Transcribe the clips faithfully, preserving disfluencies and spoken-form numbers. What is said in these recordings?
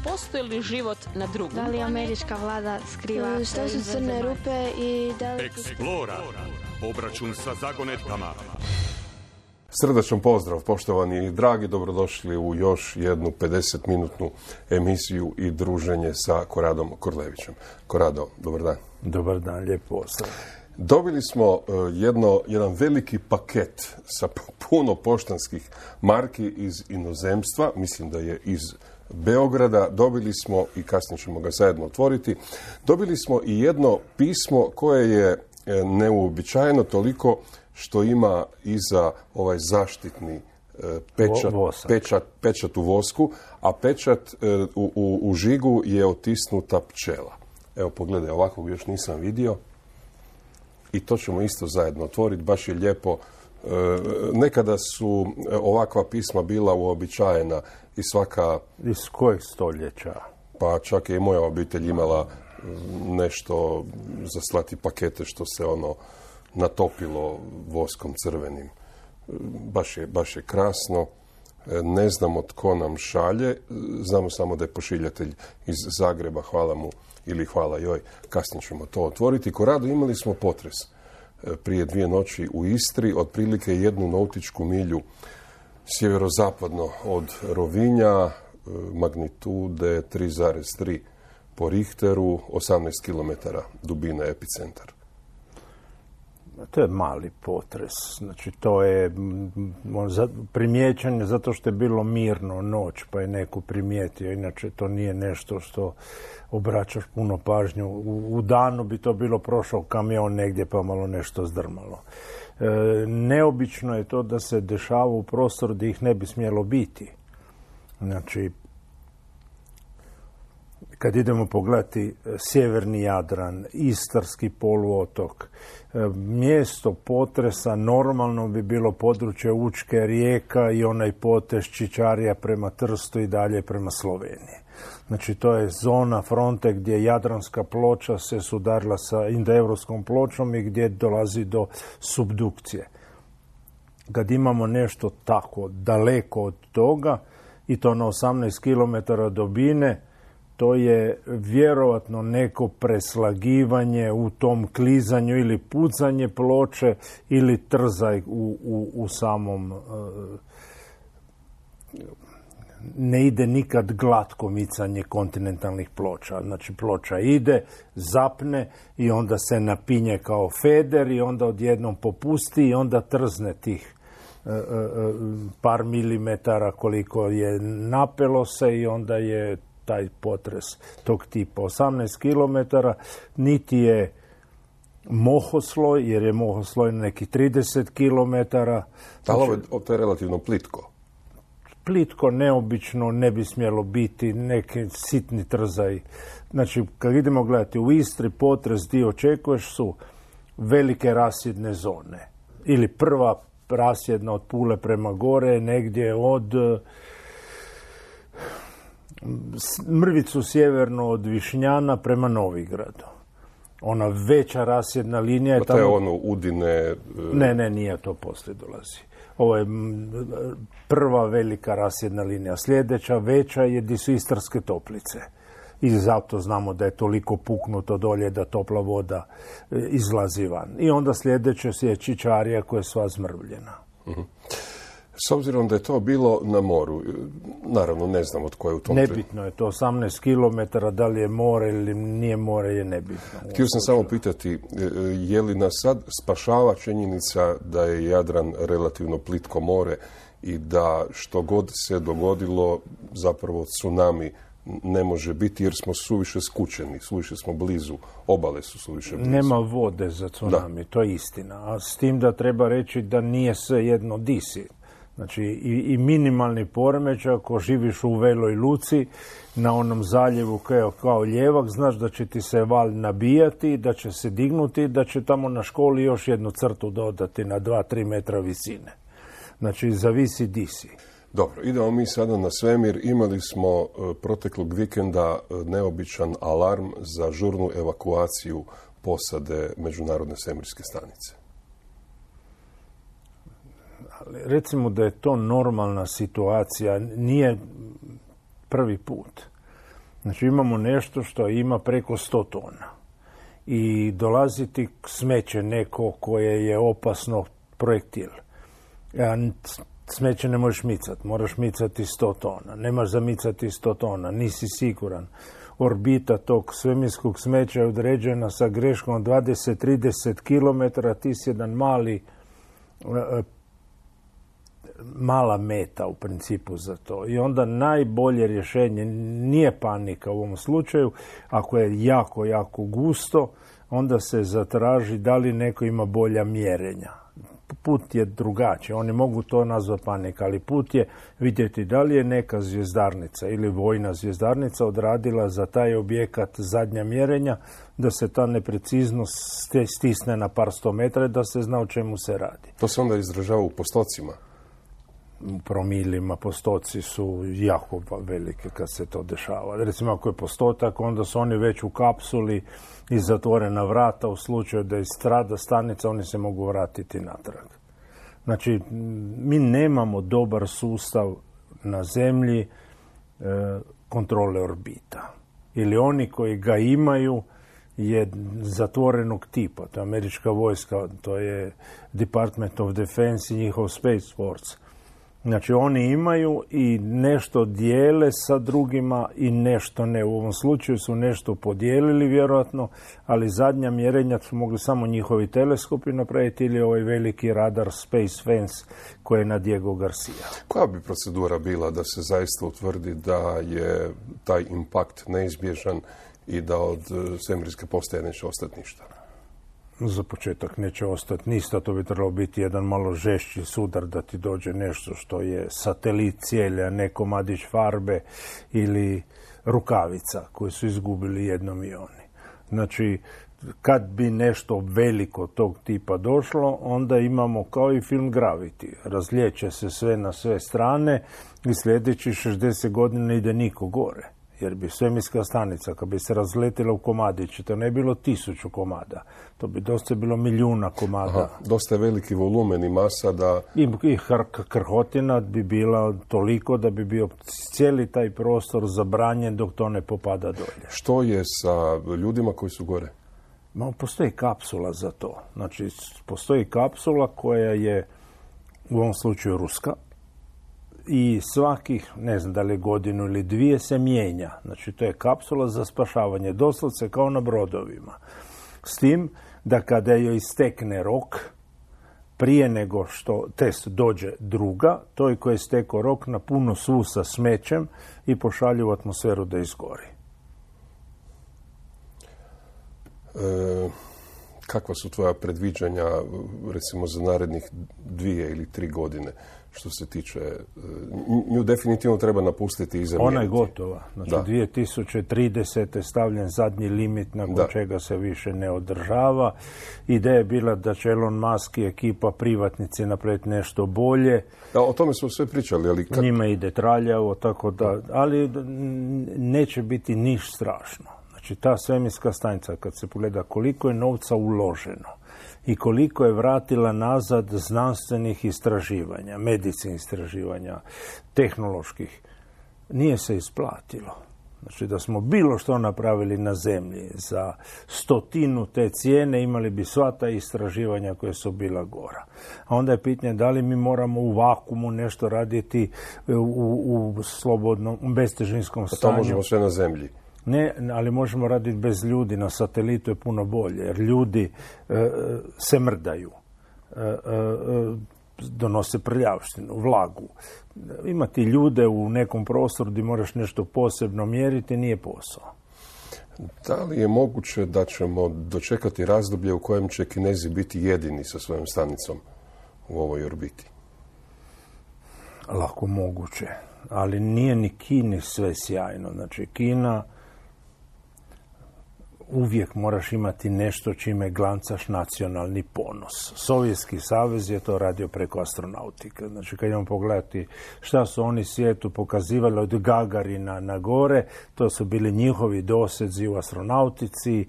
postoji li život na drugom Da li američka vlada skriva... Šta su crne rupe i da li... Eksplora. Obračun sa zagonetkama. Srdačan pozdrav, poštovani i dragi, dobrodošli u još jednu pedesetminutnu emisiju i druženje sa Koradom Korlevićem. Korado, dobar dan. Dobar dan, lijep pozdrav. Dobili smo jedno, jedan veliki paket sa puno poštanskih marki iz inozemstva, mislim da je iz Beograda. Dobili smo, i kasnije ćemo ga zajedno otvoriti, dobili smo i jedno pismo koje je neuobičajeno toliko što ima iza ovaj zaštitni pečat, pečat, pečat u vosku, a pečat u, u, u žigu je otisnuta pčela. Evo pogledaj, ovakvog još nisam vidio. I to ćemo isto zajedno otvoriti, baš je lijepo. E, nekada su ovakva pisma bila uobičajena i svaka... Iz kojeg stoljeća? Pa čak je i moja obitelj imala nešto za slati pakete što se ono natopilo voskom crvenim. Baš je, baš je krasno. Ne znamo tko nam šalje, znamo samo da je pošiljatelj iz Zagreba, hvala mu ili hvala joj, kasnije ćemo to otvoriti. Korado, imali smo potres prije dvije noći u Istri, otprilike jednu nautičku milju sjeverozapadno od Rovinja, magnitude tri zarez tri po Richteru, osamnaest kilometara dubina epicentar. To je mali potres. Znači, to je primijećen zato što je bilo mirno noć, pa je neko primijetio. Inače, to nije nešto što obraćaš puno pažnju. U, u danu bi to bilo prošao kamion negdje pa malo nešto zdrmalo. E, neobično je to da se dešava u prostoru gdje ih ne bi smjelo biti. Znači, kad idemo pogledati sjeverni Jadran, Istarski poluotok, mjesto potresa normalno bi bilo područje Učke, Rijeka i onaj potez Čičarija prema Trstu i dalje prema Sloveniji. Znači, to je zona fronte gdje Jadranska ploča se sudarila sa indoevropskom pločom i gdje dolazi do subdukcije. Kad imamo nešto tako daleko od toga, i to na osamnaest kilometara dubine, to je vjerovatno neko preslagivanje u tom klizanju ili pucanje ploče ili trzaj u, u, u samom... Ne ide nikad glatko micanje kontinentalnih ploča. Znači, ploča ide, zapne i onda se napinje kao feder i onda odjednom popusti i onda trzne tih par milimetara koliko je napelo se i onda je taj potres tog tipa. osamnaest kilometara, niti je mohosloj, jer je mohosloj neki trideset kilometara. Ali ovo to je relativno plitko. Plitko, neobično, ne bi smjelo biti, neki sitni trzaj. Znači, kad idemo gledati u Istri, potres gdje očekuješ su velike rasjedne zone. Ili prva rasjedna od Pule prema gore, negdje od mrvicu sjeverno od Višnjana prema Novigradu. Ona veća rasjedna linija je tamo... Pa to je ono Udine... Ne, ne, nije to poslije dolazi. Ovo je prva velika rasjedna linija. Sljedeća veća je gdje su Istarske toplice. I zato znamo da je toliko puknuto dolje da topla voda izlazi van. I onda sljedeće je Čičarija koja je sva zmrvljena. Uh-huh. S obzirom da je to bilo na moru, naravno ne znamo tko je u tom... Nebitno je to, osamnaest kilometara, da li je more ili nije more je nebitno. Htio sam samo pitati, je li nas sad spašava činjenica da je Jadran relativno plitko more i da što god se dogodilo, zapravo tsunami ne može biti jer smo suviše skučeni, suviše smo blizu, obale su suviše blizu. Nema vode za tsunami, da. To je istina. A s tim da treba reći da nije sve jedno di si. Znači, i, i minimalni poremećaj, ako živiš u Veloj Luci, na onom zaljevu kao, kao ljevak, znaš da će ti se val nabijati, da će se dignuti, da će tamo na školi još jednu crtu dodati na dva do tri metra visine. Znači, zavisi di si. Dobro, idemo mi sada na svemir. Imali smo proteklog vikenda neobičan alarm za žurnu evakuaciju posade Međunarodne svemirske stanice. Recimo da je to normalna situacija, nije prvi put. Znači imamo nešto što ima preko sto tona. I dolaziti smeće neko koje je opasno projektil. Smeće ne možeš micati, moraš micati sto tona. Nemaš za micati sto tona, nisi siguran. Orbita tog svemirskog smeća je određena sa greškom dvadeset do trideset kilometara, ti si jedan mali, mala meta u principu za to. I onda najbolje rješenje nije panika u ovom slučaju, ako je jako, jako gusto, onda se zatraži da li neko ima bolja mjerenja. Put je drugačiji, oni mogu to nazvati panika, ali put je vidjeti da li je neka zvjezdarnica ili vojna zvjezdarnica odradila za taj objekat zadnja mjerenja, da se ta nepreciznost stisne na par sto metra, da se zna o čemu se radi. To se onda izražava u postocima? U promilima postoci su jako velike kad se to dešava. Recimo ako je postotak, onda su oni već u kapsuli i zatvorena vrata, u slučaju da istrada stanica, oni se mogu vratiti natrag. Znači, mi nemamo dobar sustav na zemlji e, kontrole orbita. Ili oni koji ga imaju je zatvorenog tipa. To je američka vojska, to je Department of Defense i njihov Space Force. Znači, oni imaju i nešto dijele sa drugima i nešto ne. U ovom slučaju su nešto podijelili vjerojatno, ali zadnja mjerenja su mogli samo njihovi teleskopi napraviti ili ovaj veliki radar Space Fence koji je na Diego Garcia. Koja bi procedura bila da se zaista utvrdi da je taj impakt neizbježan i da od svemirske postaje neće ostati ništa? Za početak neće ostati ništa, to bi trebalo biti jedan malo žešći sudar da ti dođe nešto što je satelit cijeli, a ne komadić farbe ili rukavica koju su izgubili jednom i oni. Znači, kad bi nešto veliko tog tipa došlo, onda imamo kao i film Gravity. Razlijeće se sve na sve strane i sljedeći šezdeset godina ide niko gore. Jer bi svemirska stanica, kad bi se razletila u komadići, to ne je bilo tisuću komada. To bi dosta bilo milijuna komada. Aha, dosta je veliki volumen i masa da... I, i hr, krhotina bi bila toliko da bi bio cijeli taj prostor zabranjen dok to ne popada dolje. Što je sa ljudima koji su gore? Ma, postoji kapsula za to. Znači, postoji kapsula koja je u ovom slučaju ruska, i svakih, ne znam da li godinu ili dvije, se mijenja. Znači, to je kapsula za spašavanje, doslovce kao na brodovima. S tim da kada joj istekne rok, prije nego što test dođe druga, to je koji je stekao rok na puno svu sa smećem i pošalju u atmosferu da izgori. E, kakva su tvoja predviđanja, recimo, za narednih dvije ili tri godine? Što se tiče, nju definitivno treba napustiti i zamijeniti. Ona je gotova. Znači, da. dvije tisuće tridesete stavljen zadnji limit nakon da. čega se više ne održava. Ideja je bila da će Elon Musk i ekipa privatnici napraviti nešto bolje. Da, o tome smo sve pričali. Ali kad... Njima ide traljavo, tako da, ali neće biti niš strašno. Znači, ta svemirska stanica, kad se pogleda koliko je novca uloženo i koliko je vratila nazad znanstvenih istraživanja, medicinskih istraživanja, tehnoloških, nije se isplatilo. Znači, da smo bilo što napravili na zemlji za stotinu te cijene, imali bi sva ta istraživanja koje su bila gora. A onda je pitanje da li mi moramo u vakumu nešto raditi u, u slobodnom, bestežinskom stanju. A to možemo sve na zemlji. Ne, ali možemo raditi bez ljudi, na satelitu je puno bolje, jer ljudi e, se mrdaju, e, e, donose prljavštinu, vlagu. Imati ljude u nekom prostoru gdje moraš nešto posebno mjeriti nije posao. Da li je moguće da ćemo dočekati razdoblje u kojem će Kinezi biti jedini sa svojom stanicom u ovoj orbiti? Lako moguće, ali nije ni Kini sve sjajno. Znači, Kina... uvijek moraš imati nešto čime glancaš nacionalni ponos. Sovjetski savez je to radio preko astronautike. Znači, kad idemo pogledati šta su oni svijetu pokazivali od Gagarina na gore, to su bili njihovi dosezi u astronautici,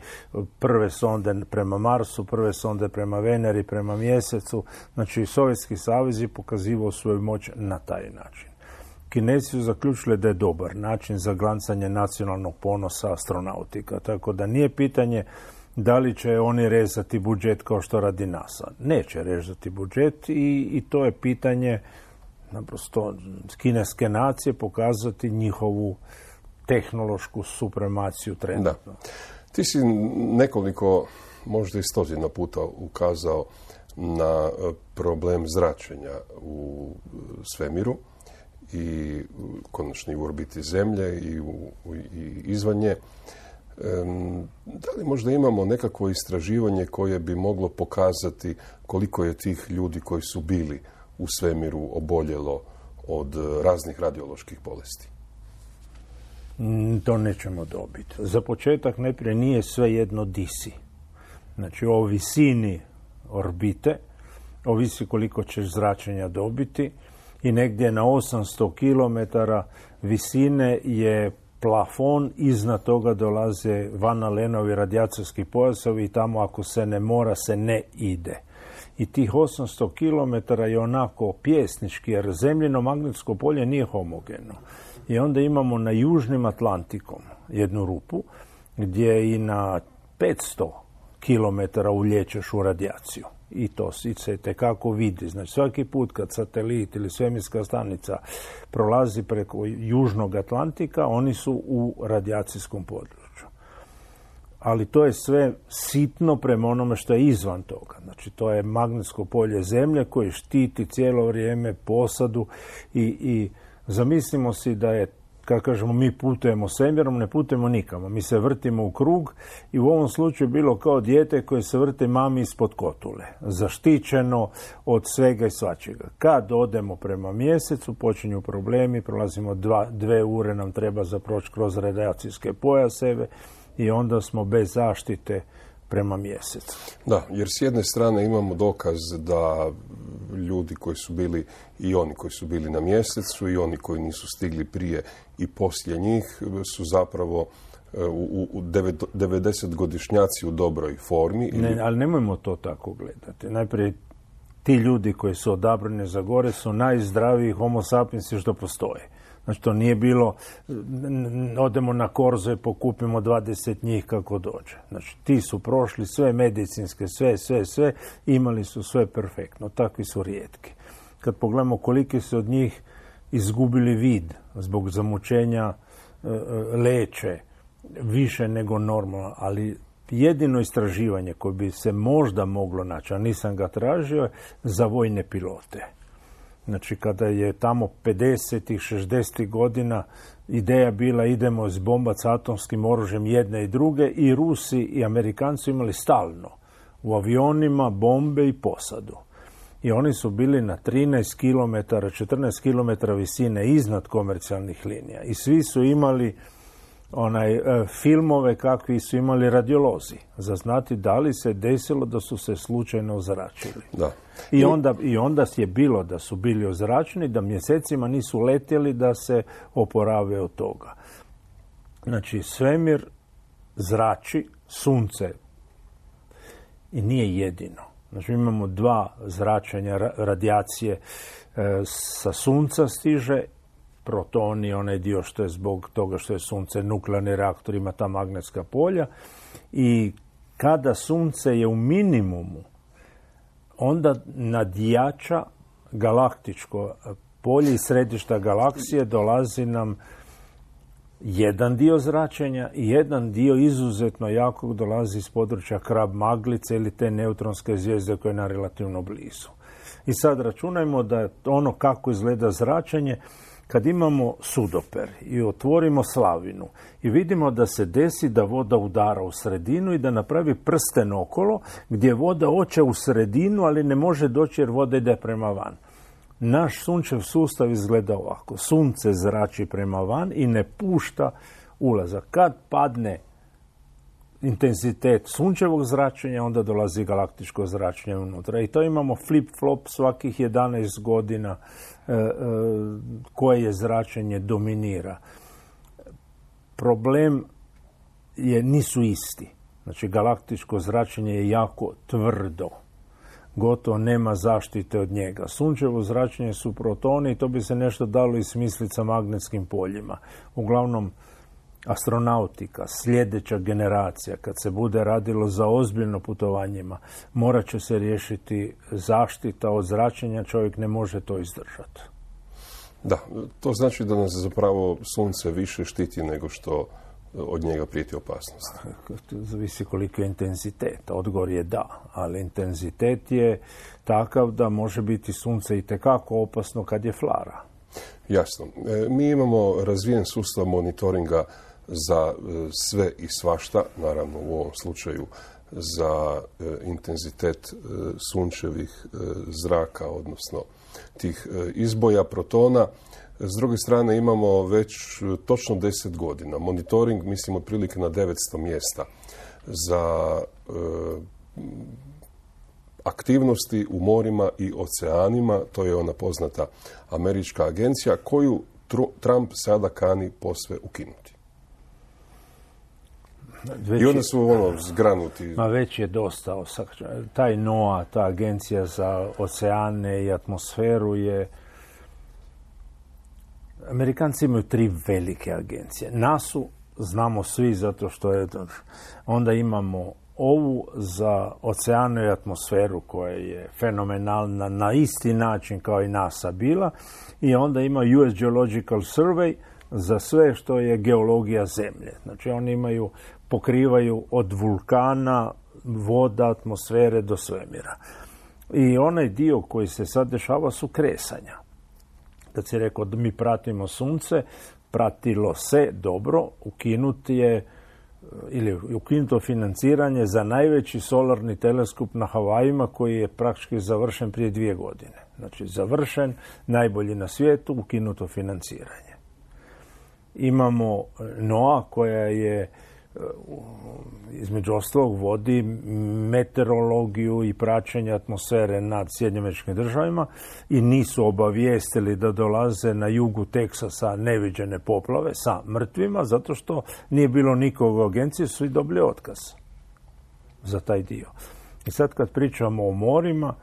prve sonde prema Marsu, prve sonde prema Veneri, prema Mjesecu. Znači, Sovjetski savez je pokazivao svoju moć na taj način. Kinezi su zaključili da je dobar način za glancanje nacionalnog ponosa astronautika. Tako da nije pitanje da li će oni rezati budžet kao što radi NASA. Neće rezati budžet i, i to je pitanje naprosto kineske nacije pokazati njihovu tehnološku supremaciju trenutno. Da. Ti si nekoliko, možda i stotinu puta ukazao na problem zračenja u svemiru i konačno u orbiti Zemlje i, u, i izvan nje. Da li možda imamo nekakvo istraživanje koje bi moglo pokazati koliko je tih ljudi koji su bili u svemiru oboljelo od raznih radioloških bolesti? To nećemo dobiti. Za početak najprije nije sve jedno di si. Znači o visini orbite ovisi koliko ćeš zračenja dobiti i negdje na osamsto kilometara visine je plafon, iznad toga dolaze Van Alenovi radijacijski pojasovi i tamo ako se ne mora se ne ide. I tih osamsto kilometara je onako pjesnički jer zemljino magnetsko polje nije homogeno. I onda imamo na južnim Atlantikom jednu rupu gdje i na petsto kilometara ulječeš u radijaciju. I to se tekako vidi. Znači svaki put kad satelit ili svemirska stanica prolazi preko južnog Atlantika, oni su u radijacijskom području. Ali to je sve sitno prema onome što je izvan toga. Znači to je magnetsko polje Zemlje koje štiti cijelo vrijeme posadu i, i zamislimo si da je, kako kažemo, mi putujemo svemirom, ne putujemo nikamo. Mi se vrtimo u krug i u ovom slučaju bilo kao dijete koje se vrti mami ispod kotule. Zaštićeno od svega i svačega. Kad odemo prema mjesecu, počinju problemi, prolazimo dva, dve ure nam treba za proći kroz radijacijske pojaseve i onda smo bez zaštite prema mjesecu. Da, jer s jedne strane imamo dokaz da ljudi koji su bili i oni koji su bili na mjesecu i oni koji nisu stigli prije i poslije njih su zapravo u, u devedesetgodišnjaci u dobroj formi. Ili... Ne, ali nemojmo to tako gledati. Najprije ti ljudi koji su odabrani za gore su najzdraviji homo sapiensi što postoje. Znači to nije bilo, odemo na korzo i pokupimo dvadeset njih kako dođe. Znači ti su prošli sve medicinske, sve, sve, sve, imali su sve perfektno. Takvi su rijetki. Kad pogledamo koliki su od njih izgubili vid zbog zamućenja e, leće, više nego normalno, ali jedino istraživanje koje bi se možda moglo naći, a nisam ga tražio, za vojne pilote. Znači, kada je tamo pedesetih, šezdesetih godina ideja bila idemo izbombati s atomskim oružjem jedne i druge i Rusi i Amerikanci imali stalno u avionima bombe i posadu. I oni su bili na trinaest kilometara, četrnaest kilometara visine iznad komercijalnih linija. I svi su imali onaj e, filmove kakvi su imali radiolozi za znati da li se desilo da su se slučajno ozračili. Da. I onda, I onda je bilo da su bili ozračeni, da mjesecima nisu letjeli da se oporave od toga. Znači, svemir zrači, sunce i nije jedino. Znači, imamo dva zračenja radijacije e, sa sunca stiže, protoni, onaj dio što je zbog toga što je sunce nuklearni reaktor, ima ta magnetska polja i kada sunce je u minimumu, onda nadjača galaktičko polje i središta galaksije dolazi nam jedan dio zračenja i jedan dio izuzetno jakog dolazi iz područja Krab Maglice ili te neutronske zvijezde koje je na relativno blizu. I sad računajmo da ono kako izgleda zračenje, kad imamo sudoper i otvorimo slavinu i vidimo da se desi da voda udara u sredinu i da napravi prsten okolo gdje voda hoće u sredinu, ali ne može doći jer voda ide prema van. Naš sunčev sustav izgleda ovako. Sunce zrači prema van i ne pušta ulazak. Kad padne intenzitet sunčevog zračenja, onda dolazi galaktičko zračenje unutra. I to imamo flip-flop svakih jedanaest godina e, e, koje je zračenje dominira. Problem je, nisu isti. Znači, galaktičko zračenje je jako tvrdo. gotovo nema zaštite od njega. Sunčevo zračenje su protoni i to bi se nešto dalo i smisliti sa magnetskim poljima. Uglavnom, astronautika, sljedeća generacija, kad se bude radilo za ozbiljno putovanjima, morat će se riješiti zaštita od zračenja, čovjek ne može to izdržati. Da, to znači da nas zapravo sunce više štiti nego što od njega prijeti opasnost. Zavisi koliko je intenzitet. Odgovor je da, ali intenzitet je takav da može biti sunce i tekako opasno kad je flara. Jasno. E, mi imamo razvijen sustav monitoringa za e, sve i svašta, naravno u ovom slučaju za e, intenzitet e, sunčevih e, zraka, odnosno tih e, izboja protona. S druge strane imamo već točno deset godina monitoring, mislim otprilike na devetsto mjesta za e, aktivnosti u morima i oceanima. To je ona poznata američka agencija koju Trump sada kani posve ukinuti. Već I onda su ono zgranuti. Ma već je dosta. Taj NOAA, ta agencija za oceane i atmosferu je... Amerikanci imaju tri velike agencije. nasu znamo svi zato što je... Onda imamo ovu za oceanu i atmosferu koja je fenomenalna na isti način kao i NASA bila. I onda ima U S Geological Survey za sve što je geologija zemlje. Znači oni imaju, pokrivaju od vulkana, voda, atmosfere do svemira. I onaj dio koji se sad dešava su kresanja. Kad si rekao da mi pratimo sunce, pratilo se dobro, ukinuti je ili ukinuto financiranje za najveći solarni teleskop na Havajima koji je praktički završen prije dvije godine. Znači završen, najbolji na svijetu, ukinuto financiranje. Imamo NOAA koja je između ostalog vodi meteorologiju i praćenje atmosfere nad Sjedinjenim Američkim Državama i nisu obavijestili da dolaze na jugu Teksasa neviđene poplave sa mrtvima, zato što nije bilo nikog u agenciji, su i dobili otkaz za taj dio. I sad kad pričamo o morima,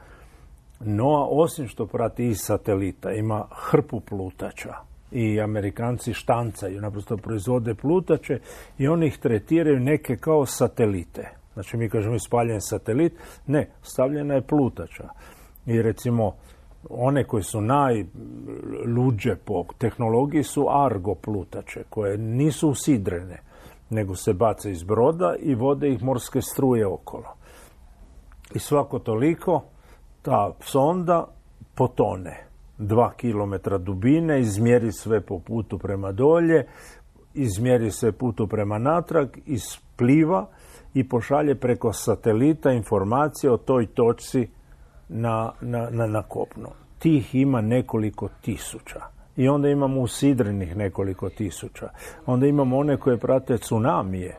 NOAA osim što prati iz satelita ima hrpu plutača. I Amerikanci štancaju, naprosto proizvode plutače i oni ih tretiraju neke kao satelite. Znači mi kažemo ispaljen satelit, ne, stavljena je plutača. I recimo one koje su najluđe po tehnologiji su Argo plutače, koje nisu usidrene, nego se bace iz broda i vode ih morske struje okolo. I svako toliko ta sonda potone. Dva kilometra dubine, izmjeri sve po putu prema dolje, izmjeri sve putu prema natrag, ispliva i pošalje preko satelita informacije o toj točci na, na, na, na kopno. Tih ima nekoliko tisuća. I onda imamo usidrenih nekoliko tisuća. Onda imamo one koje prate tsunamije.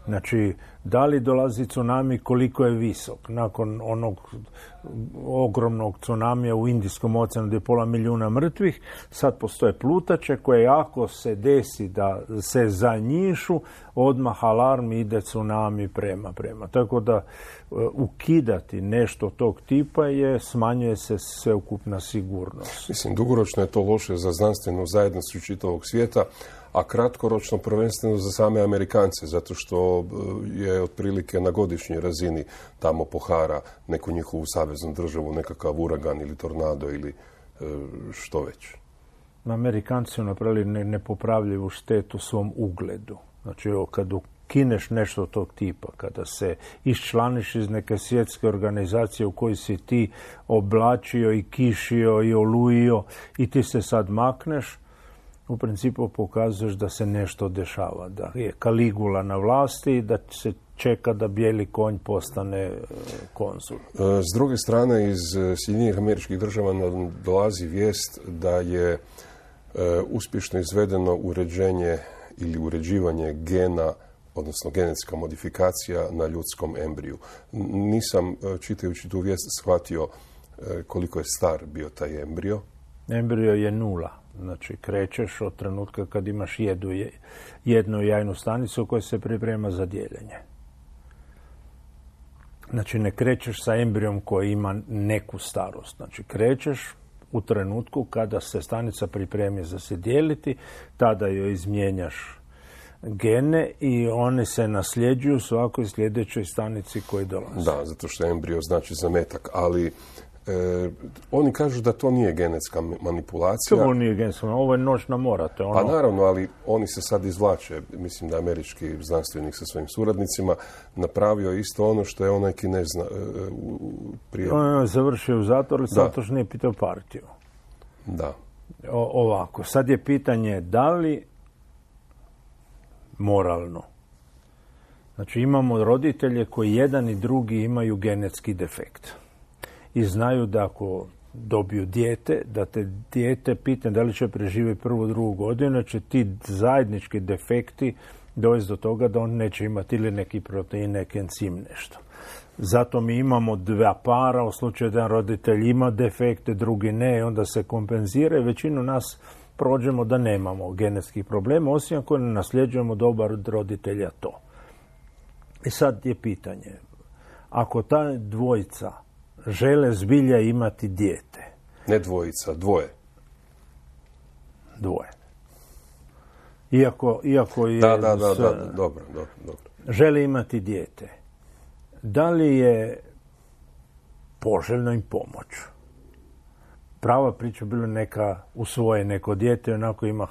Znači, da li dolazi tsunami, koliko je visok? Nakon onog ogromnog tsunamija u Indijskom oceanu gdje je pola milijuna mrtvih, sad postoje plutače koje ako se desi da se zanjišu, odmah alarm ide tsunami prema prema. Tako da ukidati nešto tog tipa je, smanjuje se sveukupna sigurnost. Mislim, dugoročno je to loše za znanstvenu zajednicu čitavog svijeta, a kratkoročno prvenstveno za same Amerikance, zato što je otprilike na godišnjoj razini tamo pohara neku njihovu saveznu državu, nekakav uragan ili tornado ili što već. Amerikanci su napravili ne, nepopravljivu štetu svom ugledu. Znači, kad ukineš nešto tog tipa, kada se iščlaniš iz neke svjetske organizacije u kojoj si ti oblačio i kišio i olujio i ti se sad makneš, u principu pokazuješ da se nešto dešava, da je Kaligula na vlasti i da se čeka da bijeli konj postane konzul. S druge strane, iz Sjedinjenih Američkih Država nam dolazi vijest da je uspješno izvedeno uređenje ili uređivanje gena, odnosno genetska modifikacija na ljudskom embriju. Nisam, čitajući tu vijest, shvatio koliko je star bio taj embrio. Embrio je nula. Znači, krećeš od trenutka kad imaš jednu, jednu jajnu stanicu koja se priprema za dijeljenje. Znači, ne krećeš sa embrijom koji ima neku starost. Znači, krećeš u trenutku kada se stanica pripremi za se dijeliti, tada joj izmijenjaš gene i one se nasljeđuju svakoj sljedećoj stanici koji dolaze. Da, zato što embrio znači zametak, ali e, oni kažu da to nije genetska manipulacija. To nije genetska, ovo je noćna mora. To je ono... Pa naravno, ali oni se sad izvlače. Mislim da je američki znanstvenik sa svojim suradnicima napravio isto ono što je onaj Kinez e, prije... On je završio u zatvoru, zato što nije pitao partiju. Da. O, ovako, sad je pitanje da li moralno. Znači, imamo roditelje koji jedan i drugi imaju genetski defekt. I znaju da ako dobiju dijete, da te dijete pitanje da li će preživjeti prvu, drugu godinu, će ti zajednički defekti dovesti do toga da on neće imati ili neki protein, neki encim, nešto. Zato mi imamo dva para, u slučaju da jedan roditelj ima defekte, drugi ne, onda se kompenzira i većinu nas prođemo da nemamo genetskih problema, osim ako ne nasljeđujemo dobar od roditelja to. I sad je pitanje, ako ta dvojica žele zbilja imati dijete. Ne dvojica, dvoje. Dvoje. Iako, iako je... Da, da, da, da, da, dobro, dobro, dobro. Žele imati dijete. Da li je poželjno im pomoć? Prava priča bila neka usvoje neko dijete, onako ima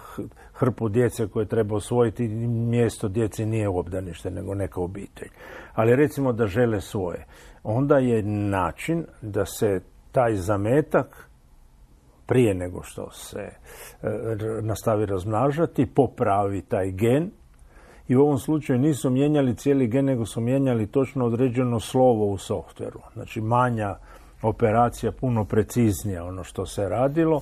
hrpu djece koje treba usvojiti, mjesto djeci nije obdanište, nego neka obitelj. Ali recimo da žele svoje. Onda je način da se taj zametak, prije nego što se e, nastavi razmnažati, popravi taj gen. I u ovom slučaju nisu mijenjali cijeli gen, nego su mijenjali točno određeno slovo u softveru. Znači, manja operacija, puno preciznija ono što se radilo.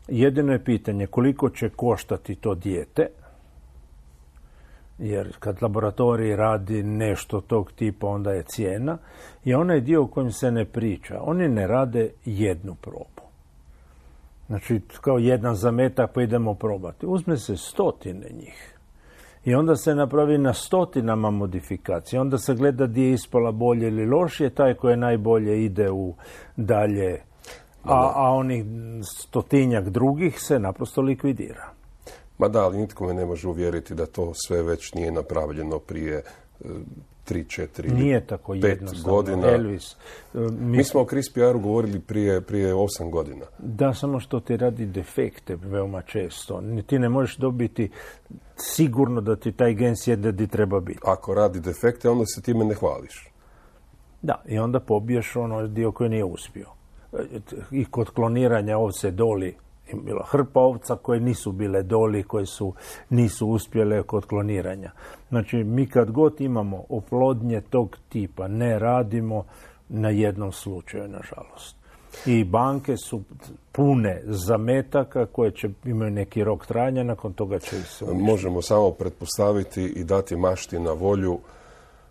Jedino je pitanje koliko će koštati to dijete, jer kad laboratorij radi nešto tog tipa, onda je cijena. I onaj dio o kojem se ne priča, oni ne rade jednu probu. Znači, kao jedan zametak pa idemo probati. Uzme se stotine njih. I onda se napravi na stotinama modifikacija. Onda se gleda gdje je ispala bolje ili lošije. Taj koji je najbolje ide u dalje, a, a onih stotinjak drugih se naprosto likvidira. Ma da, ali nitko me ne može uvjeriti da to sve već nije napravljeno prije tri, četiri, nije tako pet godina. Elvis, mi, mi smo o CRISPR-u govorili prije, prije osam godina. Da, samo što ti radi defekte veoma često. Ti ne možeš dobiti sigurno da ti taj gen sjede gdje treba biti. Ako radi defekte, onda se time ne hvališ. Da, i onda pobiješ ono dio koji nije uspio. I kod kloniranja ovce Doli bila hrpa ovca koje nisu bile Doli, koje su, nisu uspjele kod kloniranja. Znači, mi kad god imamo oplodnje tog tipa, ne radimo na jednom slučaju, nažalost. I banke su pune zametaka koje će imaju neki rok trajanja, nakon toga će se uništiti. Možemo samo pretpostaviti i dati mašti na volju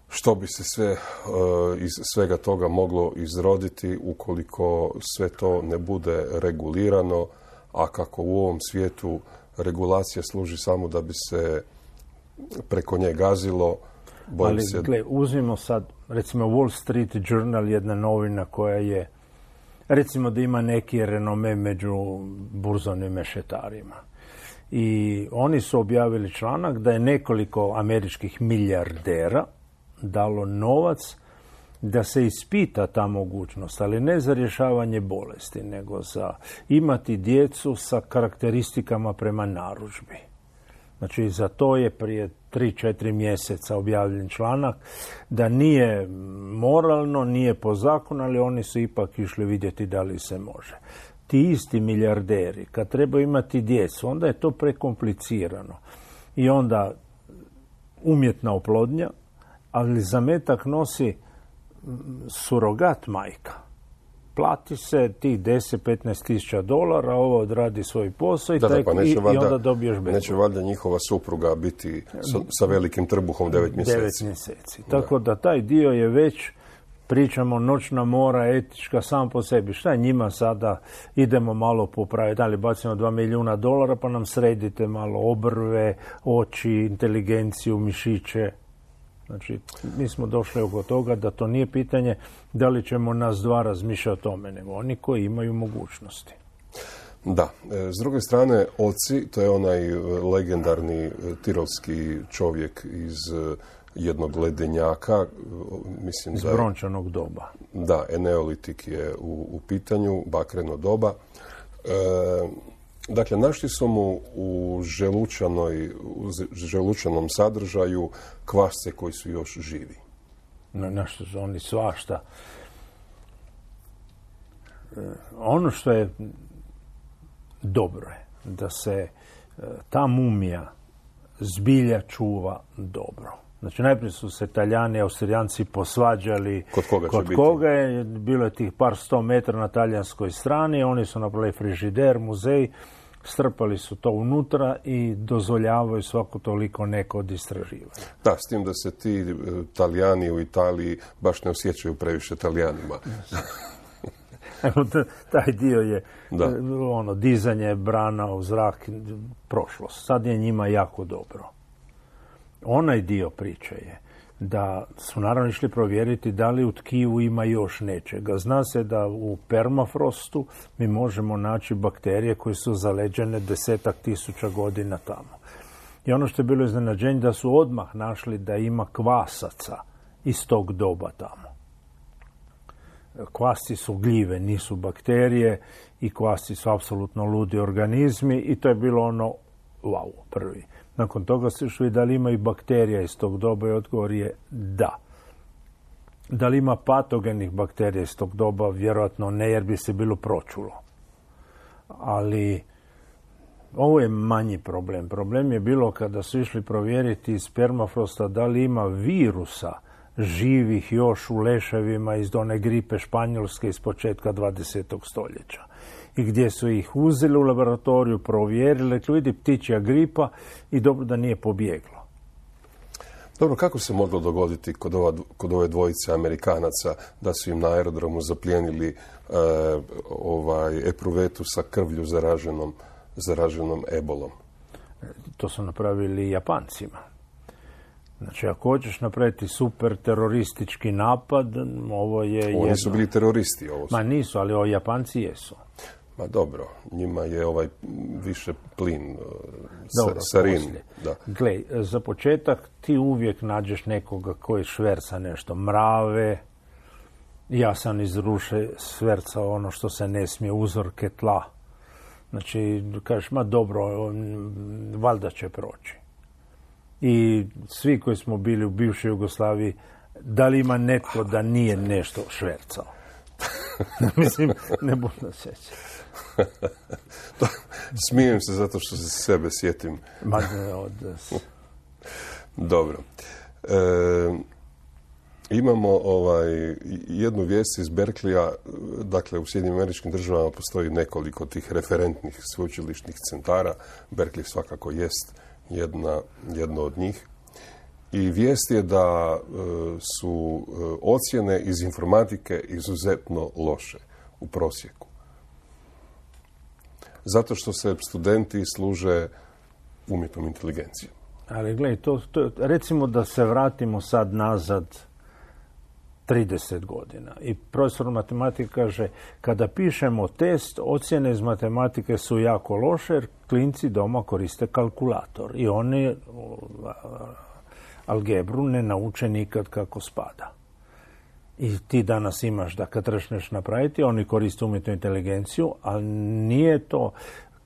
što bi se sve uh, iz svega toga moglo izroditi ukoliko sve to ne bude regulirano, a kako u ovom svijetu regulacija služi samo da bi se preko nje gazilo. Ali, se... gle, uzmimo sad, recimo Wall Street Journal, jedna novina koja je, recimo da ima neki renome među burzovnim mešetarima. I oni su objavili članak da je nekoliko američkih milijardera dalo novac da se ispita ta mogućnost, ali ne za rješavanje bolesti, nego za imati djecu sa karakteristikama prema narudžbi. Znači, za to je prije tri četiri mjeseca objavljen članak da nije moralno, nije po zakonu, ali oni su ipak išli vidjeti da li se može. Ti isti milijarderi, kad treba imati djecu, onda je to prekomplicirano. I onda umjetna oplodnja, ali zametak nosi surogat majka. Plati se tih deset do petnaest tisuća dolara, ovo odradi svoj posao i, da, tek, da, pa i, valjda, i onda dobiješ bebu. Neće valjda njihova supruga biti sa, sa velikim trbuhom devet mjeseci. Devet mjeseci. Tako da. da taj dio je već, pričamo, noćna mora, etička sam po sebi. Šta je njima sada? Idemo malo popraviti, ali bacimo dva milijuna dolara pa nam sredite malo obrve, oči, inteligenciju, mišiće. Znači, mi smo došli oko toga da to nije pitanje da li ćemo nas dva razmišljati o tome, nego oni koji imaju mogućnosti. Da. S druge strane, oci, to je onaj legendarni tirolski čovjek iz jednog ledenjaka. Mislim iz da je, brončanog doba. Da, eneolitik je u, u pitanju, bakreno doba. E, dakle, našli su mu u, želučanoj, u želučanom sadržaju kvasce koji su još živi. Na, našli su oni svašta. E, ono što je dobro je da se e, ta mumija zbilja čuva dobro. Znači, najprije su se Talijani i Austrijanci posvađali kod koga, kod koga je, bilo je tih par sto metara na talijanskoj strani, oni su napravili frižider, muzej, strpali su to unutra i dozvoljavaju svako toliko neko od istraživanja. Da, s tim da se ti e, Talijani u Italiji baš ne osjećaju previše Talijanima. Evo, taj dio je da. ono, dizanje brana u zrak, prošlost. Sad je njima jako dobro. Onaj dio priče je da su naravno išli provjeriti da li u tkivu ima još nečega. Zna se da u permafrostu mi možemo naći bakterije koje su zaleđene desetak tisuća godina tamo. I ono što je bilo iznenađenje da su odmah našli da ima kvasaca iz tog doba tamo. Kvasci su gljive, nisu bakterije i kvasci su apsolutno ludi organizmi i to je bilo ono wow, prvi. Nakon toga se išli da li ima i bakterija iz tog doba i odgovor je da. Da li ima patogenih bakterija iz tog doba? Vjerojatno ne, jer bi se bilo pročulo. Ali ovo je manji problem. Problem je bilo kada su išli provjeriti iz permafrosta da li ima virusa živih još u leševima iz one gripe španjolske iz početka dvadesetog stoljeća. I gdje su ih uzeli u laboratoriju, provjerili, rekli, vidi, ptičja gripa i dobro da nije pobjeglo. Dobro, kako se moglo dogoditi kod, ova, kod ove dvojice Amerikanaca da su im na aerodromu zaplijenili e, ovaj, epruvetu sa krvlju zaraženom, zaraženom ebolom? To su napravili Japancima. Znači, ako hoćeš napraviti super teroristički napad, ovo je Oni jedno. su bili teroristi. Ovo su. Ma nisu, ali o Japanci jesu. Ma dobro, njima je ovaj više plin, Dobro, sarin. Da. Gle, za početak ti uvijek nađeš nekoga koji šverca nešto. Mrave, ja sam iz ruše švercao ono što se ne smije, uzorke tla. Znači, kažeš, ma dobro, valjda će proći. I svi koji smo bili u bivšoj Jugoslaviji, da li ima netko da nije nešto švercao? Mislim, ne budno sjeća. Smijem se zato što se sebe sjetim. Ma, od... Dobro. E, imamo ovaj, jednu vijest iz Berkeleya. Dakle, u Sjedinjenim Američkim Državama postoji nekoliko tih referentnih sveučilišnih centara. Berkeley svakako jest jedna, jedno od njih. I vijest je da e, su e, ocjene iz informatike izuzetno loše u prosjeku. Zato što se studenti služe umjetnom inteligencijom. Ali gledaj, to, to, recimo da se vratimo sad nazad trideset godina. I profesor matematike kaže, kada pišemo test, ocjene iz matematike su jako loše, jer klinci doma koriste kalkulator. I oni algebru ne nauče nikad kako spada. I ti danas imaš da kad trešneš napraviti, oni koriste umjetnu inteligenciju, ali nije to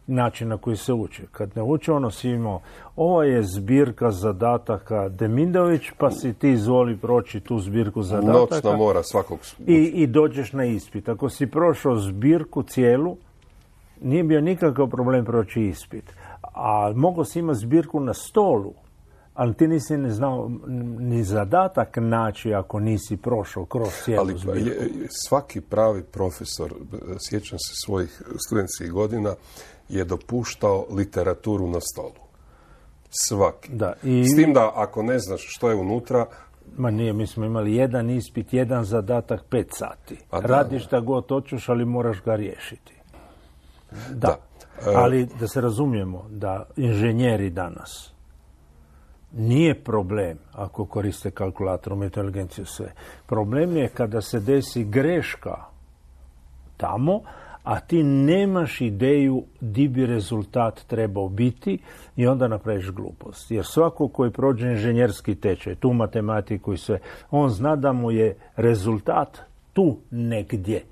način na koji se uči. Kad ne uči, ono si imao, ovo je zbirka zadataka Demindović, pa si ti izvoli proći tu zbirku zadataka. Noćna mora svakog. I, I dođeš na ispit. Ako si prošao zbirku cijelu, nije bio nikakav problem proći ispit. A mogao si imati zbirku na stolu, ali ti nisi ne znao ni zadatak naći ako nisi prošao kroz cijelu ali, zbirku. Je, svaki pravi profesor, sjećam se svojih studentskih godina, je dopuštao literaturu na stolu. Svaki. Da, i... S tim da ako ne znaš što je unutra... Ma nije, mi smo imali jedan ispit, jedan zadatak, pet sati. Da, radiš šta god hoćeš, ali moraš ga riješiti. Da. da. Ali da se razumijemo, da inženjeri danas Nije problem ako koriste kalkulator, umjetnu inteligenciju, sve. Problem je kada se desi greška tamo, a ti nemaš ideju di bi rezultat trebao biti i onda napraviš glupost. Jer svako koji prođe inženjerski tečaj, tu matematiku i sve, on zna da mu je rezultat tu negdje.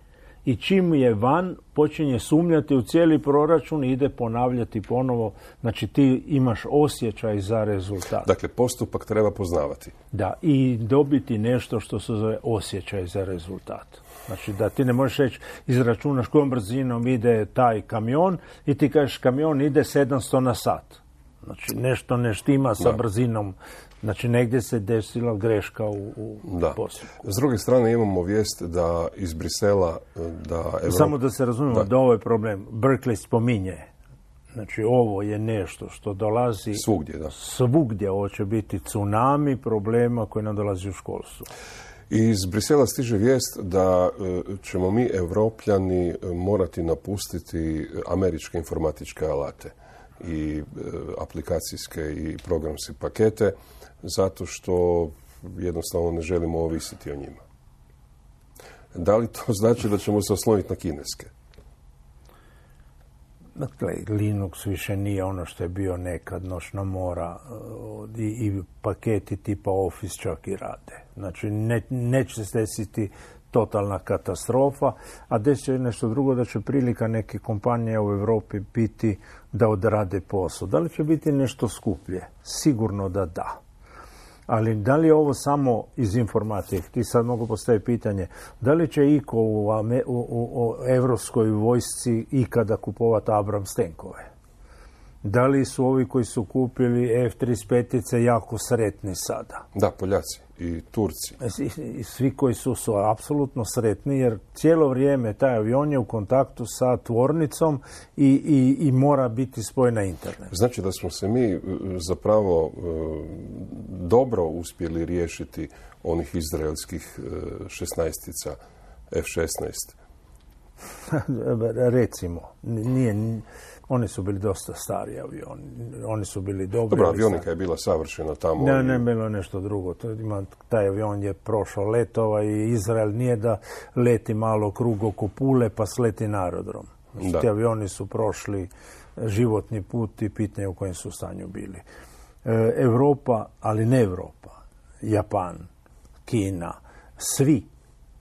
I čim je van, počinje sumnjati u cijeli proračun i ide ponavljati ponovo. Znači ti imaš osjećaj za rezultat. Dakle, postupak treba poznavati. Da, i dobiti nešto što se zove osjećaj za rezultat. Znači da ti ne možeš reći, izračunaš kojom brzinom ide taj kamion i ti kažeš kamion ide sedamsto na sat. Znači nešto ne štima sa da. brzinom. Znači negdje se desila greška u, u postupku. S druge strane imamo vijest da iz Brisela da Evropa... Samo da se razumijemo da, da ovo je problem. Berkeley spominje. Znači ovo je nešto što dolazi svugdje. Da. Svugdje ovo će biti tsunami problema koji nam dolazi u školstvu. Iz Brisela stiže vijest da ćemo mi Evropljani morati napustiti američke informatičke alate i aplikacijske i programske pakete zato što jednostavno ne želimo ovisiti o njima. Da li to znači da ćemo se osloniti na kineske? Dakle, Linux više nije ono što je bio nekad, noćna mora i, i paketi tipa Office čak i rade. Znači, ne, neće se desiti totalna katastrofa, a desit će nešto drugo, da će prilika neke kompanije u Europi biti da odrade posao. Da li će biti nešto skuplje? Sigurno da da. Ali da li je ovo samo iz informatike? Ti sad mogu postaviti pitanje, da li će iko u, u, u, u evropskoj vojsci ikada kupovati Abrams tenkove? Da li su ovi koji su kupili F trideset pet jako sretni sada? Da, Poljaci i Turci. I, i svi koji su su apsolutno sretni, jer cijelo vrijeme taj avion je u kontaktu sa tvornicom i, i, i mora biti spojen na internet. Znači da smo se mi zapravo dobro uspjeli riješiti onih izraelskih šesnaestica F šesnaest. Recimo, nije... Oni su bili dosta stari avioni. Oni su bili dobri. Dobro, avionika je bila savršena tamo. Ne, ne, bilo nešto drugo. Taj avion je prošao letova i Izrael nije da leti malo krug oko Pule pa sleti na aerodrom. Znači, ti avioni su prošli životni put i pitanje u kojem su stanju bili. E, Europa, ali ne Europa, Japan, Kina, svi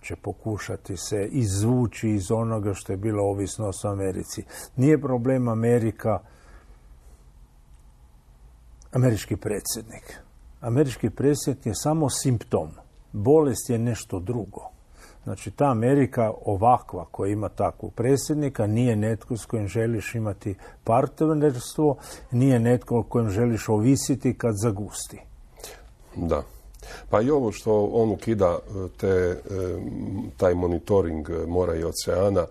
će pokušati se izvući iz onoga što je bilo ovisnost o Americi. Nije problem Amerika, američki predsjednik. Američki predsjednik je samo simptom. Bolest je nešto drugo. Znači, ta Amerika ovakva koja ima takvog predsjednika nije netko s kojim želiš imati partnerstvo, nije netko kojim želiš ovisiti kad zagusti. Da. Pa i ovo što on ukida te, taj monitoring mora i oceana,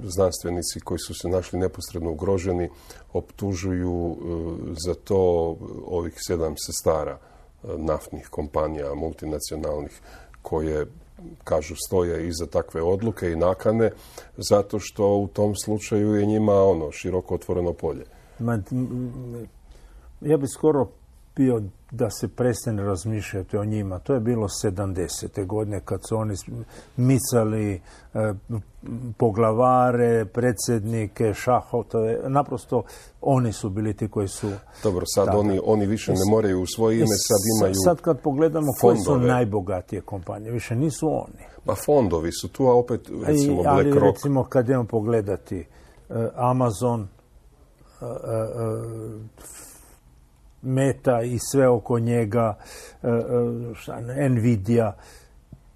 znanstvenici koji su se našli neposredno ugroženi optužuju za to ovih sedam sestara naftnih kompanija multinacionalnih koje, kažu, stoje iza takve odluke i nakane, zato što u tom slučaju je njima ono široko otvoreno polje. Ma, ja bi skoro bio da se prestane razmišljati o njima. To je bilo sedamdesete godine kad su oni micali e, poglavare, predsjednike, šahotove. Naprosto oni su bili ti koji su... Dobro, sad oni, oni više ne moraju u svoje ime, sad imaju Sad kad pogledamo fondove. Koje su najbogatije kompanije, više nisu oni. Pa fondovi su tu, a opet recimo Black Ali, Rock. recimo kad idemo pogledati uh, Amazon, uh, uh, Meta i sve oko njega, šta, Nvidia,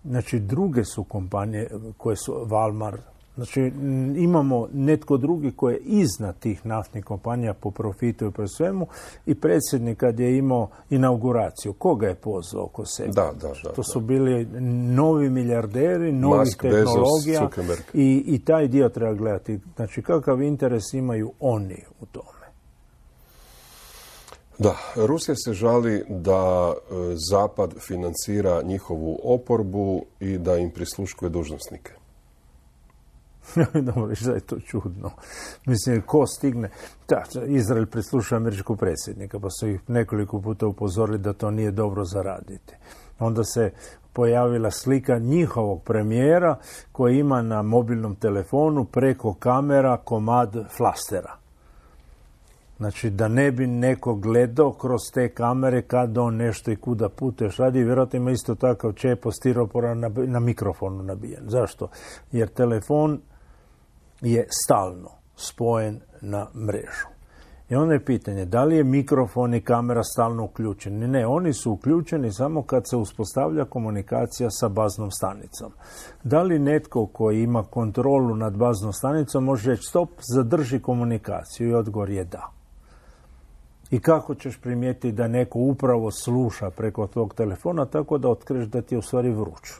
znači druge su kompanije koje su Walmart. Znači imamo netko drugi koji je iznad tih naftnih kompanija po profitu i po svemu i predsjednik kad je imao inauguraciju, koga je pozvao oko sebe? Da, da, da, to su bili novi milijarderi, novih Musk, tehnologija Bezos, i, i taj dio treba gledati. Znači kakav interes imaju oni u tome. Da, Rusija se žali da e, Zapad financira njihovu oporbu i da im prisluškuje dužnosnike. Dobro, što je to čudno. Mislim, ko stigne... Da, Izrael prislušao američkog predsjednika, pa su ih nekoliko puta upozorili da to nije dobro zaraditi. Onda se pojavila slika njihovog premijera koji ima na mobilnom telefonu preko kamera komad flastera. Znači, da ne bi neko gledao kroz te kamere kad on nešto i kuda puteš radi, vjerojatno ima isto takav čepo stiropora na, na mikrofonu nabijen. Zašto? Jer telefon je stalno spojen na mrežu. I onda je pitanje, da li je mikrofon i kamera stalno uključeni? Ne, oni su uključeni samo kad se uspostavlja komunikacija sa baznom stanicom. Da li netko koji ima kontrolu nad baznom stanicom može reći stop, zadrži komunikaciju? I odgovor je da. I kako ćeš primijetiti da neko upravo sluša preko tvog telefona tako da otkriješ da ti je u stvari vruć?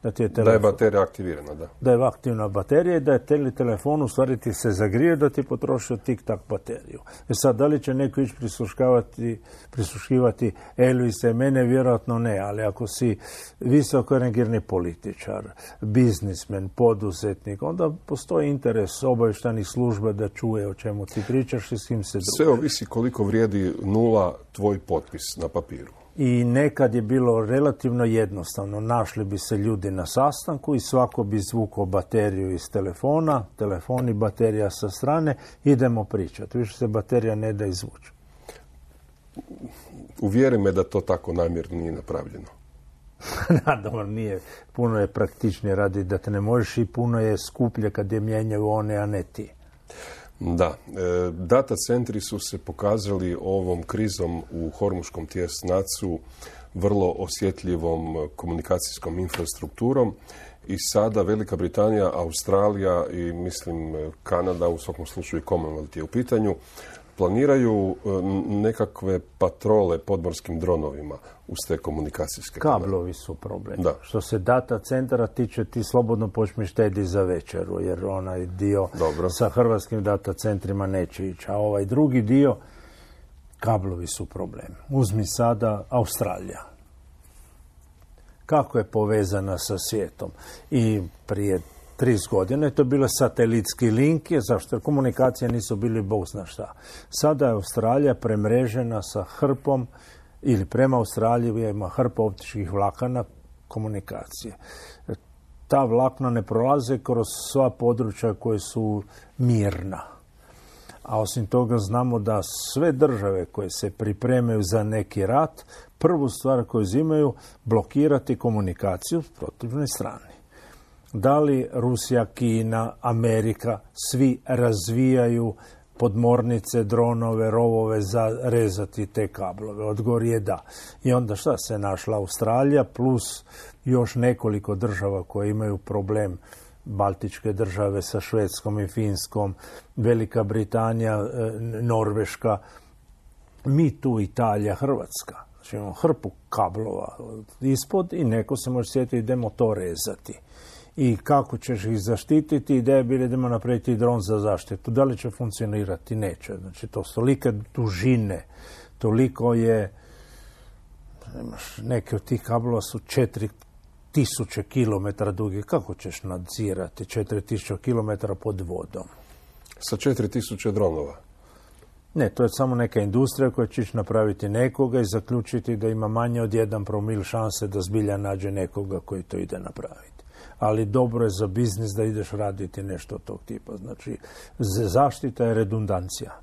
Da, ti je, da je baterija aktivirana, da. Da je aktivna baterija i da je tele, telefon u stvari ti se zagrije da ti potrošio tik-tak bateriju. E sad, da li će neko ići prisluškivati, prisluškivati Elvisa i mene? Vjerojatno ne, ali ako si visoko rangirani političar, biznismen, poduzetnik, onda postoji interes obavještajnih služba da čuje o čemu ti pričaš i s kim se družiš. Sve ovisi koliko vrijedi nula tvoj potpis na papiru. I nekad je bilo relativno jednostavno. Našli bi se ljudi na sastanku i svako bi izvukao bateriju iz telefona, telefon i baterija sa strane, idemo pričati. Više se baterija ne da izvući. Uvjeri me da to tako namjerno nije napravljeno. Naravno, nije. Puno je praktičnije radi da te ne možeš i puno je skuplje kad je mijenjaju one, a ne ti. Da, e, data centri su se pokazali ovom krizom u Hormuškom tjesnacu vrlo osjetljivom komunikacijskom infrastrukturom i sada Velika Britanija, Australija i mislim Kanada, u svakom slučaju i Commonwealth je u pitanju, planiraju nekakve patrole podmorskim dronovima uz te komunikacijske kanale. Kablovi su problem. Da. Što se data centara tiče, ti slobodno počmi štedi za večeru, jer onaj dio Dobro. sa hrvatskim data centrima neće ići. A ovaj drugi dio, kablovi su problem. Uzmi sada Australija. Kako je povezana sa svijetom? I prije trideset godina je to bilo satelitski link, zašto? Jer komunikacije nisu bili bog zna šta. Sada je Australija premrežena sa hrpom, ili prema Australiji ima hrpa optičkih vlakana komunikacije. Ta vlakna ne prolaze kroz sva područja koje su mirna. A osim toga znamo da sve države koje se pripremaju za neki rat, prvu stvar koju uzimaju, blokirati komunikaciju s protivnoj strani. Da li Rusija, Kina, Amerika, svi razvijaju podmornice, dronove, rovove za rezati te kablove? Odgovor je da. I onda šta se našla Australija plus još nekoliko država koje imaju problem, Baltičke države sa Švedskom i Finskom, Velika Britanija, Norveška, mi tu Italija, Hrvatska. Znači imamo hrpu kablova ispod i neko se može sjetiti idemo to rezati. I kako ćeš ih zaštititi? Ideja je bila idemo napraviti dron za zaštitu. Da li će funkcionirati? Neće. Znači, to su tolike dužine, toliko je, neke od tih kablova su četiri tisuće kilometara dugi. Kako ćeš nadzirati četiri tisuće kilometara pod vodom? Sa četiri tisuće dronova? Ne, to je samo neka industrija koja će napraviti nekoga i zaključiti da ima manje od jedan promil šanse da zbilja nađe nekoga koji to ide napraviti. Ali dobro je za biznis da ideš raditi nešto od tog tipa. Znači, zaštita je redundancija.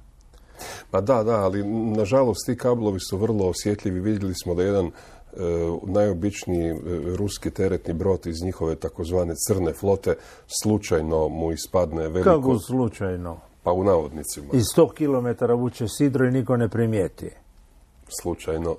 Pa da, da, ali nažalost ti kablovi su vrlo osjetljivi. Vidjeli smo da jedan e, najobičniji e, ruski teretni brod iz njihove takozvane crne flote slučajno mu ispadne veliko... Kako slučajno? Pa u navodnicima. I sto kilometara vuče sidro i niko ne primijeti. Slučajno.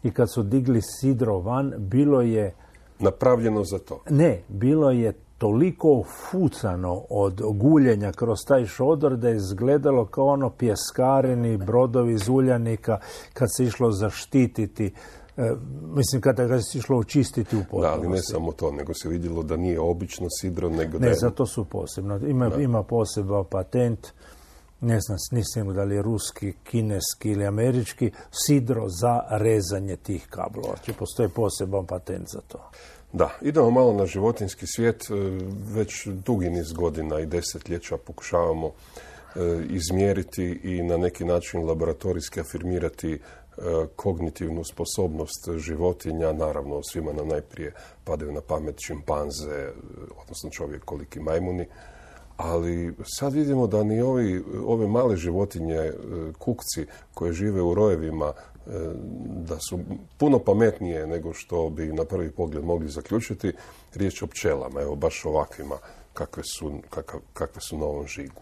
I kad su digli sidro van, bilo je... Napravljeno za to. Ne, bilo je toliko fucano od guljenja kroz taj šodor da je izgledalo kao ono pjeskareni brodovi iz uljanika kad se išlo zaštititi, e, mislim kada ga se išlo očistiti u potpunosti. Da, ali ne samo to, nego se vidjelo da nije obično sidro, nego da Ne, je... zato su posebno. Ima, ima poseban patent, ne znam, nisam da li je ruski, kineski ili američki, sidro za rezanje tih kablova. Znači, postoji poseban patent za to. Da, idemo malo na životinjski svijet. Već dugi niz godina i desetljeća pokušavamo izmjeriti i na neki način laboratorijski afirmirati kognitivnu sposobnost životinja. Naravno, svima nam najprije padaju na pamet šimpanze, odnosno čovjekoliki majmuni. Ali sad vidimo da ni ovi, ove male životinje, kukci koje žive u rojevima, da su puno pametnije nego što bi na prvi pogled mogli zaključiti. Riječ o pčelama, evo baš ovakvima kakve su, kakav, kakve su na ovom žigu.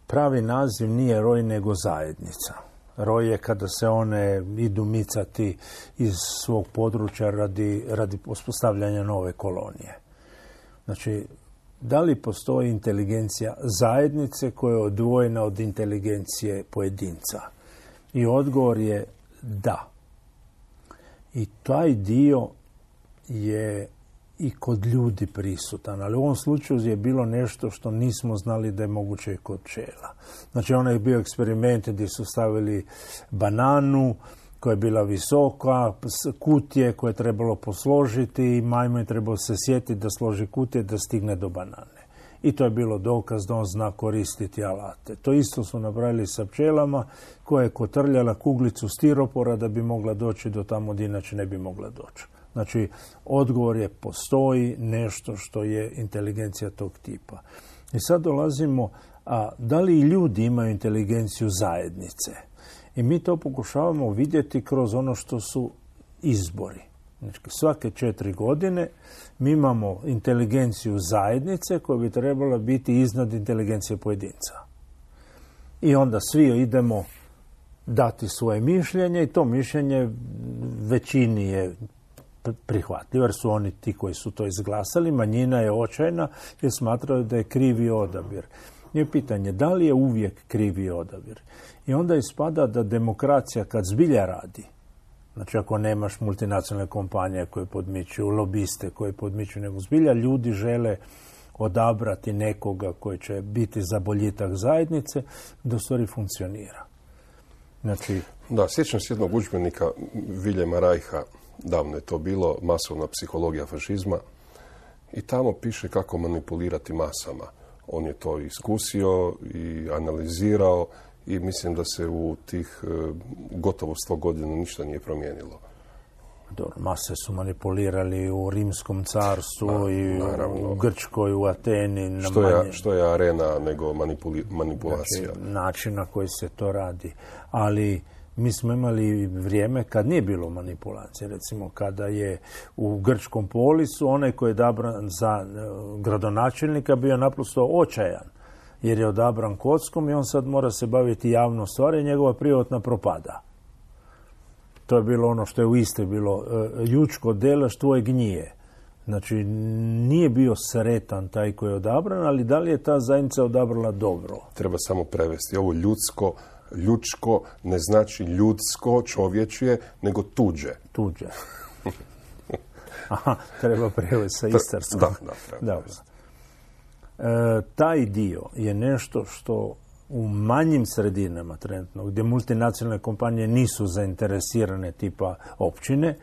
Pravi naziv nije roj nego zajednica. Roj je kada se one idu micati iz svog područja radi, radi uspostavljanja nove kolonije. Znači, da li postoji inteligencija zajednice koja je odvojena od inteligencije pojedinca? I odgovor je da. I taj dio je i kod ljudi prisutan, ali u ovom slučaju je bilo nešto što nismo znali da je moguće i kod pčela. Znači, onaj je bio eksperiment gdje su stavili bananu koja je bila visoka, kutije koje je trebalo posložiti i majmun je trebao se sjetiti da složi kutije da stigne do banane. I to je bilo dokaz da on zna koristiti alate. To isto su napravili sa pčelama koja je kotrljala kuglicu stiropora da bi mogla doći do tamo gdje inače ne bi mogla doći. Znači, odgovor je postoji nešto što je inteligencija tog tipa. I sad dolazimo, a da li i ljudi imaju inteligenciju zajednice? I mi to pokušavamo vidjeti kroz ono što su izbori. Znači, svake četiri godine mi imamo inteligenciju zajednice koja bi trebala biti iznad inteligencije pojedinca. I onda svi idemo dati svoje mišljenje i to mišljenje većini je prihvatljivo, jer su oni ti koji su to izglasali. Manjina je očajna jer smatraju da je krivi odabir. Je pitanje da li je uvijek krivi odabir. I onda ispada da demokracija kad zbilja radi, znači ako nemaš multinacionalne kompanije koje podmičuju, lobiste koje podmičuju, nego zbilja ljudi žele odabrati nekoga koji će biti za boljitak zajednice, da u stvari funkcionira. Znači, da, sjećam se jednog udžbenika Viljema Rajha, davno je to bilo, masovna psihologija fašizma, i tamo piše kako manipulirati masama. On je to iskusio i analizirao i mislim da se u tih gotovo sto godina ništa nije promijenilo. Dobro, mase su manipulirali u Rimskom carstvu Ma, i naravno. U Grčkoj, u Ateni. Na što, manje... je, što je arena nego manipuli, manipulacija? Znači, način na koji se to radi. Ali mi smo imali vrijeme kad nije bilo manipulacije. Recimo, kada je u Grčkom polisu onaj koji je odabran za gradonačelnika bio naprosto očajan, jer je odabran kockom i on sad mora se baviti javnom stvari i njegova privatna propada. To je bilo ono što je u Istri bilo, jučko delaš, tvoje gnije. Znači, nije bio sretan taj koji je odabran, ali da li je ta zajednica odabrala dobro? Treba samo prevesti. Ovo ljudsko, ljudsko ne znači ljudsko, čovječje, nego tuđe. Tuđe. Aha, treba prevesti sa istarskog. Da, da, treba prevesti. E, taj dio je nešto što u manjim sredinama trenutno, gdje multinacionalne kompanije nisu zainteresirane tipa općine,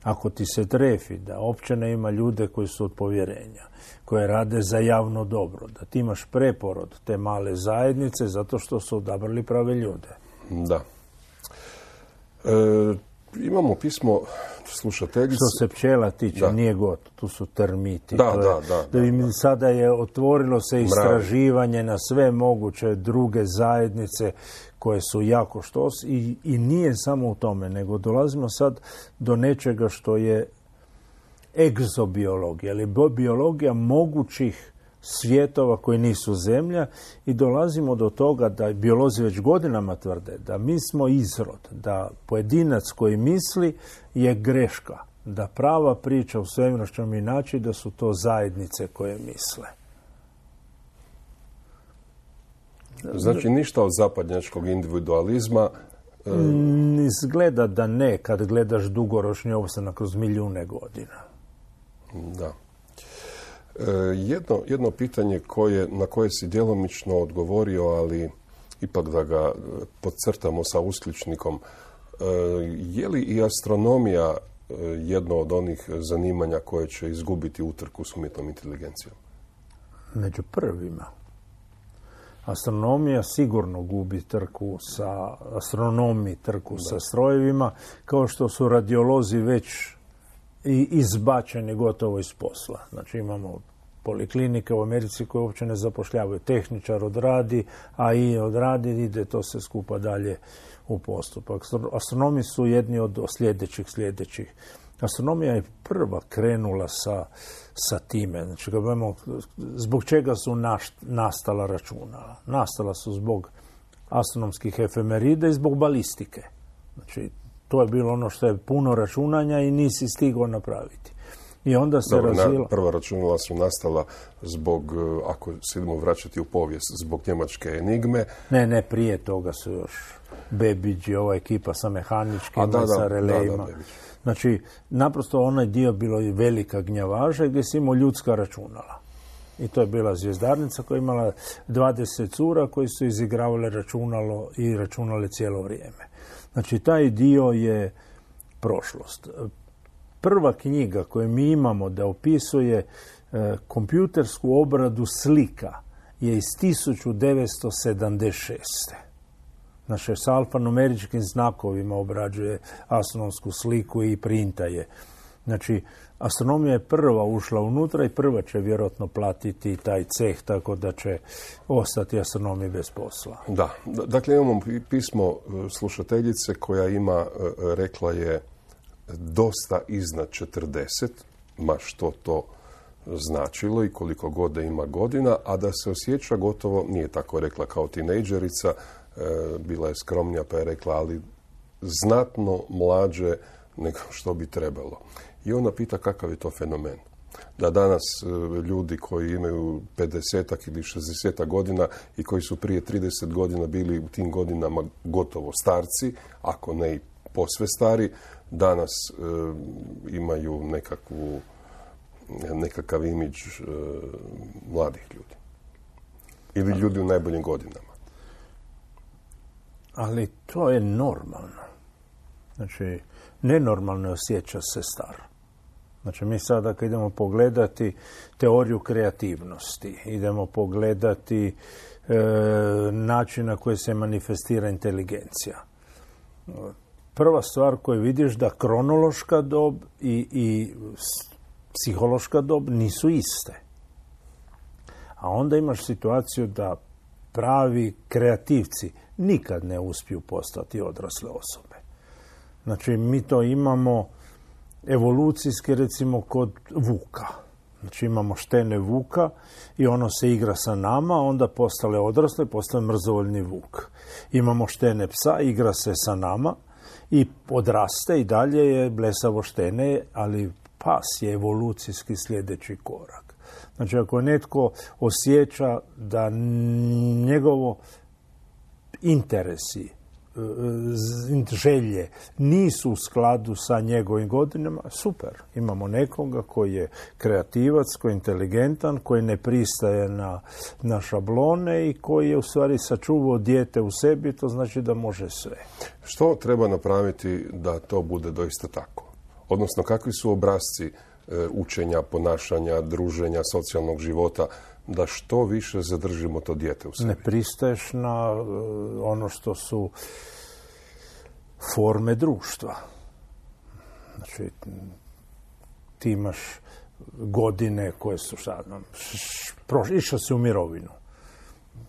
ako ti se trefi da općina ima ljude koji su od povjerenja, koje rade za javno dobro, da ti imaš preporod te male zajednice zato što su odabrali prave ljude. Da. E, imamo pismo slušateljice. Što se pčela tiče, da. Nije gotovo, tu su termiti. Da, je, da, da, da, da, da. Sada je otvorilo se istraživanje na sve moguće druge zajednice koje su jako štos i, i nije samo u tome, nego dolazimo sad do nečega što je egzobiologija, ali biologija mogućih svjetova koji nisu zemlja i dolazimo do toga da biolozi već godinama tvrde da mi smo izrod, da pojedinac koji misli je greška, da prava priča u svemiru što mi naći da su to zajednice koje misle. Znači ništa od zapadnjačkog individualizma? Mm, izgleda da ne, kad gledaš dugoročni opstanak kroz milijune godina. Da. Jedno, jedno pitanje koje, na koje si djelomično odgovorio, ali ipak da ga podcrtamo sa uskličnikom. Je li i astronomija jedno od onih zanimanja koje će izgubiti utrku s umjetnom inteligencijom? Među prvima. Astronomija sigurno gubi trku sa astronomi, trku da. sa strojevima, kao što su radiolozi već i izbačeni gotovo iz posla. Znači imamo poliklinike u Americi koje uopće ne zapošljavaju. Tehničar odradi, a i odradi, ide to se skupa dalje u postupak. Astronomi su jedni od sljedećih sljedećih. Astronomija je prva krenula sa, sa time. Znači, kad budemo, zbog čega su naš, nastala računala? Nastala su zbog astronomskih efemerida i zbog balistike. Znači, to je bilo ono što je puno računanja i nisi stigao napraviti. I onda se Dobro, razvila... na, prva računala su nastala zbog, ako se idemo vraćati u povijest, zbog njemačke enigme. Ne, ne, prije toga su još Babbage i ova ekipa sa mehaničkim, da, da, sa relejima. Da, da, znači, naprosto onaj dio bilo je velika gnjavaža gdje si imao ljudska računala. I to je bila zvjezdarnica koja je imala dvadeset cura koji su izigravale računalo i računale cijelo vrijeme. Znači, taj dio je prošlost. Prva knjiga koju mi imamo da opisuje e, kompjutersku obradu slika je iz tisuću devetsto sedamdeset šeste. Znači, s alfanumeričkim znakovima obrađuje astronomsku sliku i printa je. Znači, astronomija je prva ušla unutra i prva će vjerojatno platiti taj ceh, tako da će ostati astronomi bez posla. Da, dakle imamo pismo slušateljice koja ima, rekla je, dosta iznad četrdeset, ma što to značilo i koliko god da ima godina, a da se osjeća gotovo, nije tako rekla kao tinejdžerica, bila je skromnija pa je rekla, ali znatno mlađe nego što bi trebalo. I ona pita kakav je to fenomen. Da danas ljudi koji imaju pedesetak ili šezdesetak godina i koji su prije trideset godina bili u tim godinama gotovo starci, ako ne i posve stari, danas e, imaju nekakvu, nekakav imidž e, mladih ljudi. Ili ljudi u najboljim godinama. Ali to je normalno. Znači, nenormalno je osjeća se star. Znači, mi sada kad idemo pogledati teoriju kreativnosti, idemo pogledati e, način na koji se manifestira inteligencija. Prva stvar koju vidiš da kronološka dob i, i psihološka dob nisu iste. A onda imaš situaciju da pravi kreativci nikad ne uspiju postati odrasle osobe. Znači, mi to imamo evolucijski, recimo, kod vuka. Znači, imamo štene vuka i ono se igra sa nama, onda postale odrasle, postale mrzovoljni vuk. Imamo štene psa, igra se sa nama i odraste i dalje je blesavo štene, ali pas je evolucijski sljedeći korak. Znači, ako netko osjeća da njegovo interesi, želje nisu u skladu sa njegovim godinama, super. Imamo nekoga koji je kreativac, koji je inteligentan, koji ne pristaje na, na šablone i koji je u stvari sačuvao dijete u sebi, to znači da može sve. Što treba napraviti da to bude doista tako? Odnosno, kakvi su obrasci e, učenja, ponašanja, druženja, socijalnog života, da što više zadržimo to dijete u sebi? Ne pristaješ na uh, ono što su forme društva. Znači, ti imaš godine koje su sad, išao si u mirovinu.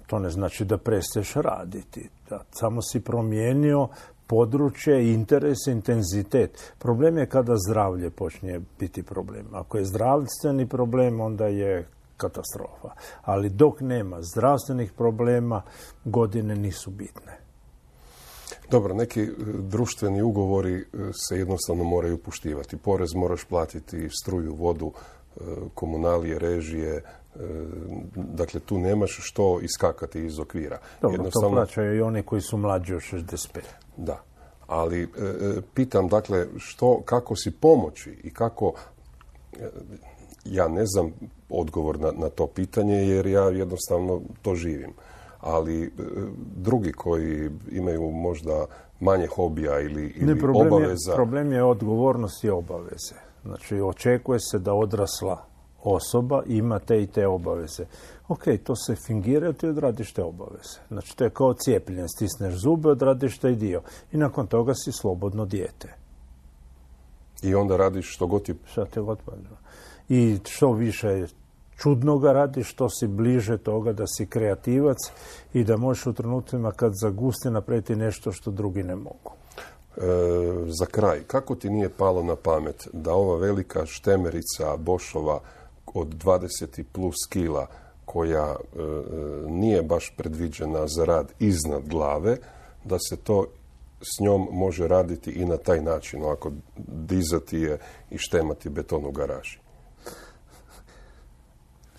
To ne znači da prestaješ raditi. Da, samo si promijenio područje, interes, intenzitet. Problem je kada zdravlje počne biti problem. Ako je zdravstveni problem, onda je katastrofa. Ali dok nema zdravstvenih problema, godine nisu bitne. Dobro, neki društveni ugovori se jednostavno moraju poštivati. Porez moraš platiti, struju, vodu, komunalije, režije. Dakle, tu nemaš što iskakati iz okvira. Dobro, jednostavno to plaćaju i oni koji su mlađi od šezdeset pet. Da, ali e, pitam, dakle, što, kako si pomoći i kako... E, ja ne znam odgovor na, na to pitanje jer ja jednostavno to živim. ali e, drugi koji imaju možda manje hobija ili, ili ne, problem obaveza... Je, problem je odgovornost i obaveze. Znači, očekuje se da odrasla osoba ima te i te obaveze. Ok, to se fingira, ti odradiš te obaveze. Znači, to je kao cijepljenje. Stisneš zube, odradiš taj dio. I nakon toga si slobodno dijete. I onda radiš što god ti... Šta te god padne. I što više čudnoga radiš, što si bliže toga da si kreativac i da možeš u trenucima kad zagusti napraviti nešto što drugi ne mogu. E, za kraj, kako ti nije palo na pamet da ova velika štemerica Boschova od dvadeset plus kila koja e, nije baš predviđena za rad iznad glave, da se to s njom može raditi i na taj način, ovako dizati je i štemati beton u garaži?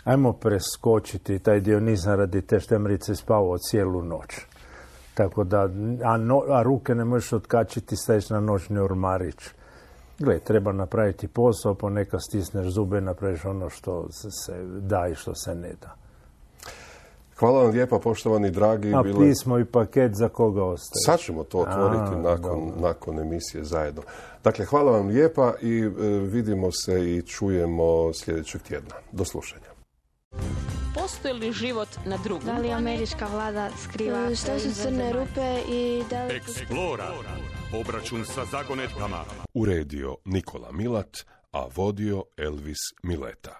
Ajmo preskočiti taj dio, nisam radi te štemerice spavao cijelu noć. Tako da, a, no, a ruke ne možeš otkačiti, staviš na noćni ormarić. Gle, treba napraviti posao, ponekad stisneš zube, napraviš ono što se da i što se ne da. Hvala vam lijepa, poštovani dragi. A bile... pismo i paket za koga ostaje? Sad ćemo to otvoriti a, nakon, nakon emisije zajedno. Dakle, hvala vam lijepa i e, vidimo se i čujemo sljedećeg tjedna. Do slušanja. Postoji li život na drugom? Da li američka vlada skriva Što su crne rupe i da li... Explora. Obračun sa zagonetkama. Uredio Nikola Milat, a vodio Elvis Mileta.